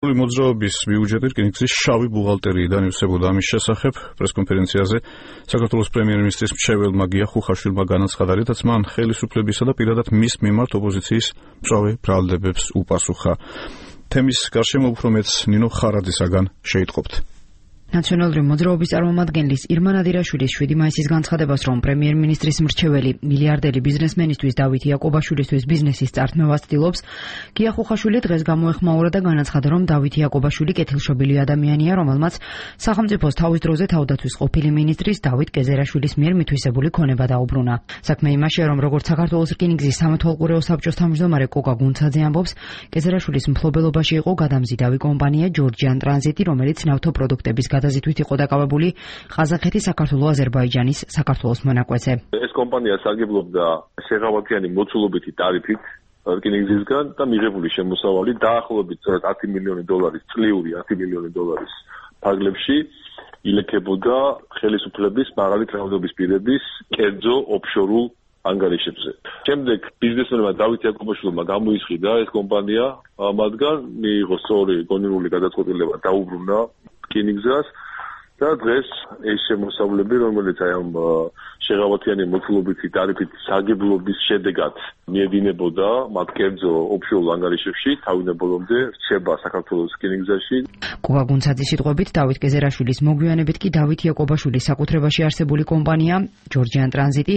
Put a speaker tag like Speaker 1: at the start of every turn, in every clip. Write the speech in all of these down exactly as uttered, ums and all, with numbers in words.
Speaker 1: მოძრაობის ბიუჯეტი რკინიგზის შავი ბუღალტერიიდან ივსებოდა. ამის შესახებ პრესკონფერენციაზე საქართველოს პრემიერ-მინისტრის მრჩეველმა გია ხუხაშვილმა განაცხადა, რითაც მან ხელისუფლებისა და პირადად მის მიმართ ოპოზიციის მწვავე ბრალდებებს უპასუხა. თემის გარშემო უფრო მეტს ნინო ხარაძისაგან შეიტყობთ.
Speaker 2: ნაციონალური მოძრაობის წარმომადგენლის ირმა ნადირაშვილის შვიდი მაისის განცხადებას, რომ პრემიერ-მინისტრის მრჩეველი მილიარდელი ბიზნესმენისთვის დავით იაკობაშვილისთვის ბიზნესის წართმევას ცდილობს, გია ხუხაშვილი დღეს გამოეხმაურა და განაცხადა, რომ დავით იაკობაშვილი კეთილშობილი ადამიანია, რომელმაც სახელმწიფოს თავის დროზე თავდაცვის ყოფილი მინისტრის დავით გეზერაშვილის მიერ მითვისებული ქონება დაუბრუნა. საქმე იმაშია, რომ როგორც საქართველოს რკინიგზის სამეთვალყურეო საბჭოს თავმჯდომარე კოკა გუნცაძე ამბობს, გეზერაშვილის მფლობელობაში იყო გადამზიდავი კომპანია ჯორჯიან ტრანზიტი, რომელიც ნავთობპროდუქტების გადაზიდვით იყო დაკავებული ყაზახეთის, საქართველოს, აზერბაიჯანის, საქართველოს მონაკვეთზე.
Speaker 3: ეს კომპანია სარგებლობდა შეღავათიანი მოცულობითი ტარიფით რკინიგზისგან და მიღებული შემოსავალი დაახლოებით ათი მილიონი დოლარის წლიური ათი მილიონი დოლარის ფარგლებში ილექებოდა ხელისუფლების მაღალი რაოდენობის პირების კერძო ოფშორულ ანგარიშებზე. შემდეგ ბიზნესმენმა დავით იაკობაშვილმა გამოისყიდა ეს კომპანია, მათგან მიიღო სწორი გონივრული გადაწყვეტილება დაუბრუნა რკინიგზას და დღეს ეს შემოსავლები, რომელიც აი ამ შეღავათიანი მოცულობითი ტარიფით სარგებლობის შედეგად მიედინებოდა მათ კერძო ოფშორულ ანგარიშებში, თავინებოლომდე რჩება საქართველოს რკინიგზაში.
Speaker 2: კოკა გუნცაძის სიტყვებით, დავით გეზერაშვილის მოგვიანებით კი დავით იაკობაშვილის საკუთრებაში არსებული კომპანია ჯორჯიან ტრანზიტი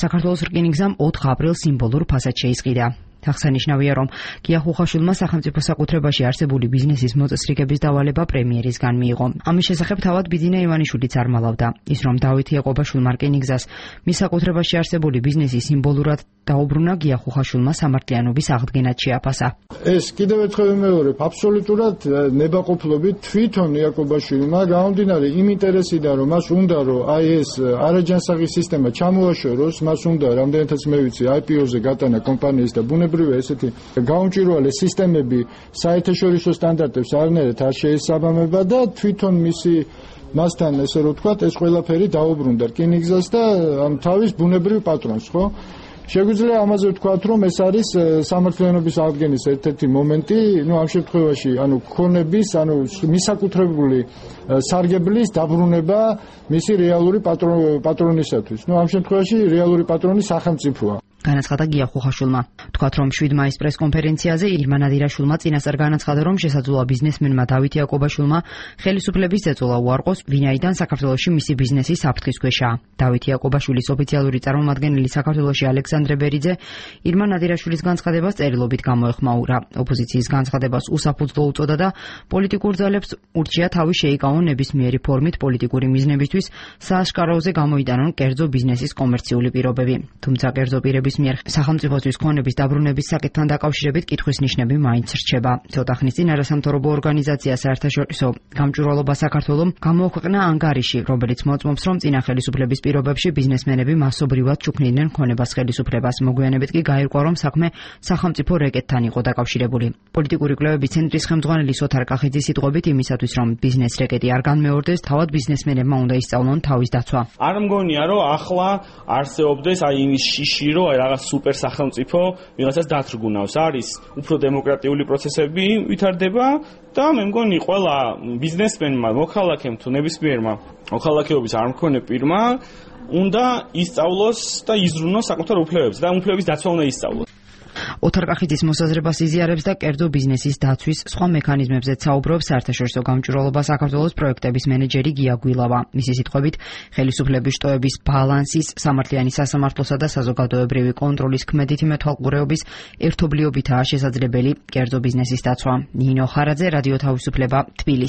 Speaker 2: საქართველოს რკინიგზამ ოთხ აპრილს სიმბოლურ ფასად შეისყიდა. აღსანიშნავია, რომ გია ხუხაშვილმა სახელმწიფო საკუთრებაში არსებული ბიზნესის მოწესრიგების დავალება პრემიერისგან მიიღო. ამის შესახებ თავად ბიძინა ივანიშვილიც არ მალავდა. ის, რომ დავით იაკობაშვილმა რკინიგზას მის საკუთრებაში არსებული ბიზნესი სიმბოლურად დაუბრუნა, გია ხუხაშვილმა სამართლიანობის აღდგენად შეაფასა.
Speaker 4: ეს კიდევ ერთხელ ვიმეორებ, აბსოლუტურად ნებაყოფლობით თვითონ იაკობაშვილმა გამომდინარე იმ ინტერესიდან, რომ მას უნდა რომ აი ეს არაჯანსაღი სისტემა ჩამოაშოროს, მას უნდა რამდენადაც მე ვიცი აი პი ო-ზე გატანა კომპანიის და ბუნებრივია ესეთი გაუმჭვირვალე სისტემები საერთაშორისო სტანდარტებს არანაირად არ შეესაბამება და თვითონ მისი მასთან ესე რომ ვთქვათ ეს ყველაფერი დაუბრუნდა რკინიგზას და ამ თავის ბუნებრივ პატრონს, ხო? შეგვიძლია ამაზე ვთქვათ, რომ ეს არის სამართლიანობის აღდგენის ერთ-ერთი მომენტი, ну ამ შემთხვევაში, ანუ ქონების, ანუ მისაკუთრებული სარგებლის დაბრუნება მისი რეალური პატრონისათვის. ну ამ შემთხვევაში რეალური პატრონი სახელმწიფოა.
Speaker 2: განაცხადა გია ხუხაშვილმა. თქვათ, რომ შვიდ მაისის პრესკონფერენციაზე ირმა ნადირაშვილმა წინასწარ განაცხადა, რომ შესაძლოა ბიზნესმენმა დავით იაკობაშვილმა ხელისუფლების ეწოლა უარყოს, ვინაიდან საქართველოში მისი ბიზნესი საფრთხის ქვეშაა. დავით იაკობაშვილის ოფიციალური წარმომადგენელი საქართველოში ალექსანდრე ბერიძე ირმა ნადირაშვილის განცხადებას წერილობით გამოეხმაურა. ოპოზიციის განცხადებას უსაფუძვლო უწოდა და პოლიტიკურ ძალებს ურჩია თავი შეიკავონ ნებისმიერი ფორმით პოლიტიკური მიზნებისთვის სააშკაროზე გამოიტანონ კერძო ბიზნესის კომერციული პირობები. თუმცა კერძო პირების მიერ სახელმწიფოსთვის ქონების დაბრუნების საკითხთან დაკავშირებით კითხვის ნიშნები მაინც რჩება. ცოტა ხნის წინ არასამთავრობო ორგანიზაცია საერთაშორისო გამჭვირვალობა საქართველოს გამოაქვეყნა ანგარიში, რომელიც მოწმობს, რომ წინა ხელისუფლების პირობებში ბიზნესმენები მასობრივად ჩუქნიდნენ ქონებას ხელისუფლებას. მოგვიანებით კი გაირკვა, რომ საქმე სახელმწიფო რეკეტთან იყო დაკავშირებული. პოლიტიკური კვლევების ცენტრის ხელმძღვანელი სოთარ კახიძის სიტყვებით, იმისათვის რომ ბიზნეს რეკეტი არ განმეორდეს, თავად ბიზნესმენებმა უნდა ისწავლონ თავის დაცვა.
Speaker 5: არ მგონია, რომ ახლა არსებობდეს აი იმის შიში, რომ რაღაც სუპერ სახელმწიფო ვიღაცას დათრგუნავს. არის უფრო დემოკრატიული პროცესები ვითარდება და მე მგონი ყველა ბიზნესმენმა, მოქალაქემ თუ ნებისმიერმა მოქალაქეობის არ მქონე პირმა უნდა ისწავლოს და იზრუნოს საკუთარ უფლებებს და უფლებების დაცვა უნდა ისწავლოს.
Speaker 2: ოთარ კახიძის მოსაზრებას იზიარებს და კერძო ბიზნესის დაცვის სხვა მექანიზმებზეც საუბრობს საერთაშორისო გამჭვირვალობა საქართველოს პროექტების მენეჯერი გია გვილავა. მისი სიტყვებით, ხელისუფლების შტოების ბალანსის, სამართლიანი სასამართლოსა და საზოგადოებრივი კონტროლის ქმედითი მეთვალყურეობის ერთობლიობითაა შესაძლებელი კერძო ბიზნესის დაცვა. ნინო ხარაძე, რადიო თავისუფლება, თბილისი.